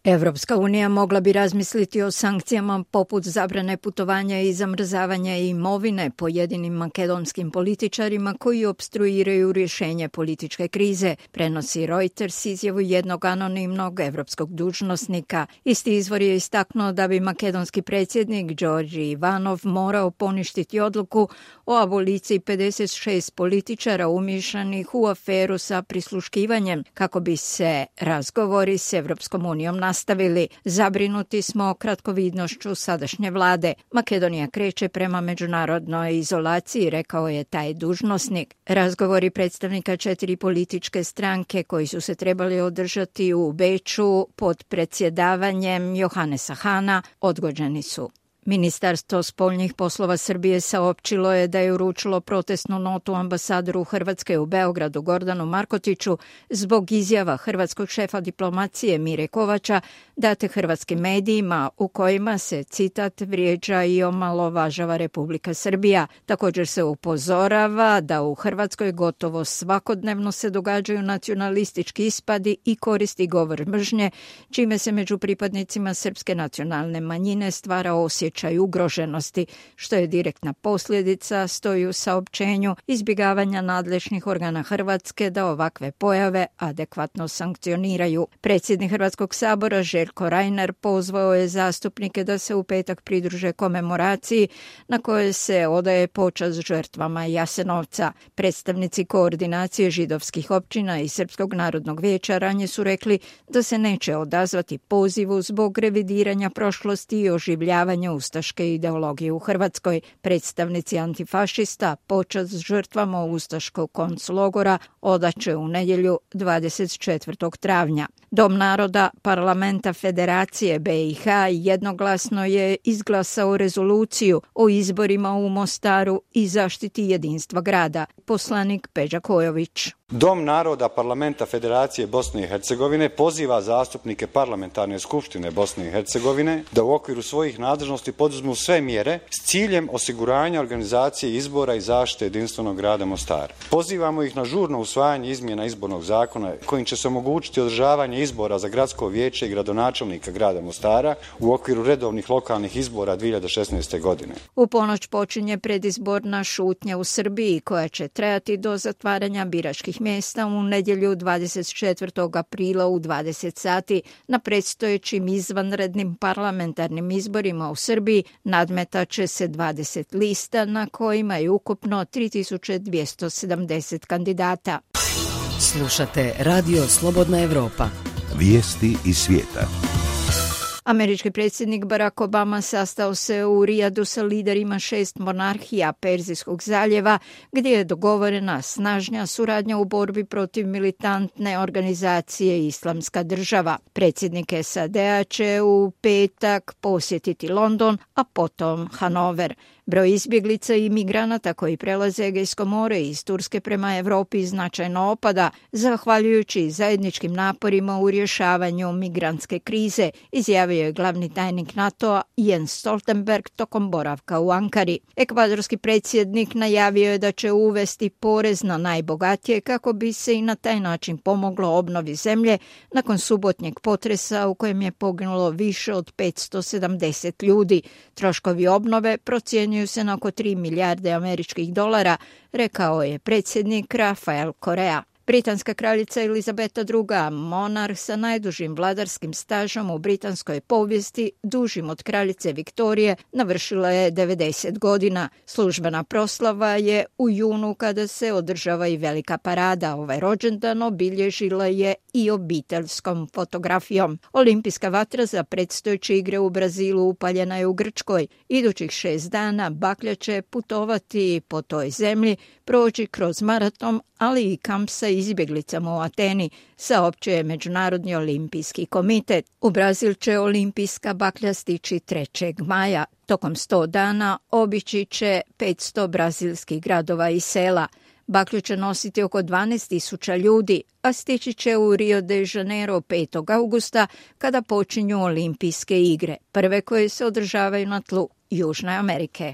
Evropska unija mogla bi razmisliti o sankcijama poput zabrane putovanja i zamrzavanja imovine pojedinim makedonskim političarima koji opstruiraju rješenje političke krize, prenosi Reuters izjavu jednog anonimnog evropskog dužnosnika. Isti izvor je istaknuo da bi makedonski predsjednik Đorđe Ivanov morao poništiti odluku o aboliciji 56 političara umiješanih u aferu sa prisluškivanjem kako bi se razgovori s Evropskom unijom nastavili. Zabrinuti smo kratkovidnošću sadašnje vlade. Makedonija kreće prema međunarodnoj izolaciji, rekao je taj dužnosnik. Razgovori predstavnika 4 političke stranke koji su se trebali održati u Beču pod predsjedavanjem Johanesa Hana odgođeni su. Ministarstvo spoljnih poslova Srbije saopćilo je da je uručilo protestnu notu ambasadoru Hrvatske u Beogradu Gordanu Markotiću zbog izjava hrvatskog šefa diplomacije Mire Kovača date hrvatskim medijima u kojima se, citat, vrijeđa i omalovažava Republika Srbija. Također se upozorava da u Hrvatskoj gotovo svakodnevno se događaju nacionalistički ispadi i koristi govor mržnje, čime se među pripadnicima srpske nacionalne manjine stvara osjećaj ugroženosti, što je direktna posljedica, stoji u saopćenju, izbjegavanja nadležnih organa Hrvatske da ovakve pojave adekvatno sankcioniraju. Predsjednik Hrvatskog sabora Željko Reiner pozvao je zastupnike da se u petak pridruže komemoraciji na kojoj se odaje počast žrtvama Jasenovca. Predstavnici koordinacije židovskih općina i Srpskog narodnog vijeća ranije su rekli da se neće odazvati pozivu zbog revidiranja prošlosti i oživljavanja ustaške ideologije u Hrvatskoj. Predstavnici antifašista počast žrtvama ustaškog konclogora odaće u nedjelju 24. travnja. Dom naroda Parlamenta Federacije BiH jednoglasno je izglasao rezoluciju o izborima u Mostaru i zaštiti jedinstva grada. Poslanik Peđa Kojović. Dom naroda Parlamenta Federacije Bosne i Hercegovine poziva zastupnike Parlamentarne skupštine Bosne i Hercegovine da u okviru svojih nadležnosti poduzmu sve mjere s ciljem osiguranja organizacije izbora i zaštite jedinstvenog grada Mostara. Pozivamo ih na žurno usvajanje izmjena izbornog zakona kojim će se omogućiti održavanje izbora za gradsko vijeće i gradonačelnika grada Mostara u okviru redovnih lokalnih izbora 2016. godine. U ponoć počinje predizborna šutnja u Srbiji koja će trajati do zatvaranja biračkih mjesta u nedjelju 24. aprila u 20 sati. Na predstojećim izvanrednim parlamentarnim izborima u Srbiji nadmetat će se 20 lista na kojima je ukupno 3270 kandidata. Slušate Radio Slobodna Evropa. Vijesti iz svijeta. Američki predsjednik Barack Obama sastao se u Rijadu sa liderima 6 monarhija Perzijskog zaljeva, gdje je dogovorena snažnija suradnja u borbi protiv militantne organizacije Islamska država. Predsjednik SAD-a će u petak posjetiti London, a potom Hanover. Broj izbjeglica i migranata koji prelaze Egejsko more iz Turske prema Europi značajno opada, zahvaljujući zajedničkim naporima u rješavanju migrantske krize, izjavio je glavni tajnik NATO-a Jens Stoltenberg tokom boravka u Ankari. Ekvadorski predsjednik najavio je da će uvesti porez na najbogatije kako bi se i na taj način pomoglo obnovi zemlje nakon subotnjeg potresa u kojem je poginulo više od 570 ljudi. Troškovi obnove procjenjuju se na oko 3 milijarde američkih dolara, rekao je predsjednik Rafael Correa. Britanska kraljica Elizabeta II, monarh sa najdužim vladarskim stažom u britanskoj povijesti, dužim od kraljice Viktorije, navršila je 90 godina. Službena proslava je u junu kada se održava i velika parada. Ovaj rođendan obilježila je i obiteljskom fotografijom. Olimpijska vatra za predstojeće igre u Brazilu upaljena je u Grčkoj. Idućih 6 dana baklja će putovati po toj zemlji, proći kroz maraton, ali i kamp sa izbjeglicama u Ateni, saopćio je Međunarodni olimpijski komitet. U Brazil će olimpijska baklja stići 3. maja. Tokom 100 dana obići će 500 brazilskih gradova i sela. Baklju će nositi oko 12.000 ljudi, a stići će u Rio de Janeiro 5. augusta kada počinju olimpijske igre, prve koje se održavaju na tlu Južne Amerike.